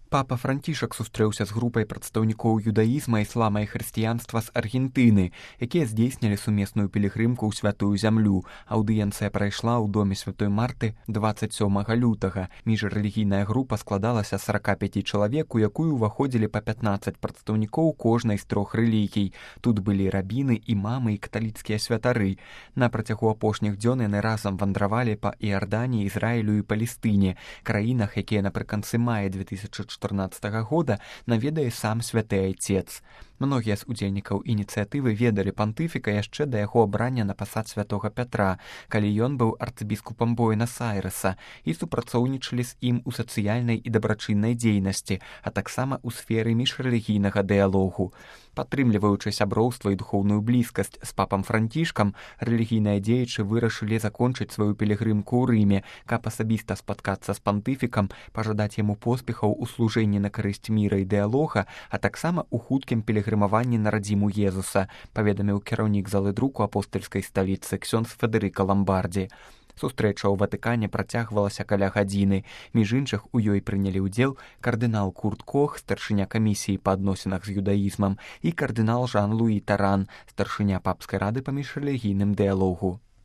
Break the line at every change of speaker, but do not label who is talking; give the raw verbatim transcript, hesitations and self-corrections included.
Папа Францішак сустрэўся з групай прадстаўнікоў юдаізма, іслама і хрысціянства з Аргентыны, якія здзейснілі сумесную пілігрымку ў святую зямлю. Аўдыенцыя прайшла ў доме святой Марты дваццаць сёмага лютага. Міжрэлігійная група складалася з сарака пяці чалавек, у якую ўваходзілі па пятнаццаць прадстаўнікоў кожнай з трох рэлігій. Тут былі рабіны, імамы і каталіцкія святары. На працягу апошніх дзён яны разам вандравалі па Іарданіі, Ізраілю і Палестыне, краінах, якія напрыканцы мая две тысячы чатырнаццатага года наведае сам святы айцец. Многія з удзельнікаў ініцыятывы ведалі пантыфіка яшчэ да яго абрання на пасад святога Пятра, калі ён быў арцыбіскупам Буэнас-Айрэса, і супрацоўнічалі з ім у сацыяльнай і дабрачыннай дзейнасці, а таксама ў сферы міжрэлігійнага дыялогу. Падтрымліваючы сяброўства і духоўную блізкасць з папам Францішкам, рэлігійныя дзеячы вырашылі закончыць сваю пілігрымку ў Рыме, каб асабіста спаткацца з пантыфікам, пажадаць яму поспехаў у служэнні на карысць міра і дыялога, а таксама ў хуткім пілігрымаванні на радзіму Езуса, паведаміў кіраўнік залы друку апостальскай сталіцы ксёндз Федэрыка Ламбардзі. Сустрэча ў Ватыкане працягвалася каля гадзіны. Між іншых, у ёй прынялі ўдзел кардынал Курт Кох, старшыня камісіі па адносінах з юдаізмам, і кардынал Жан-Луі Таран, старшыня папскай рады па міжрэлігійным дыялогу.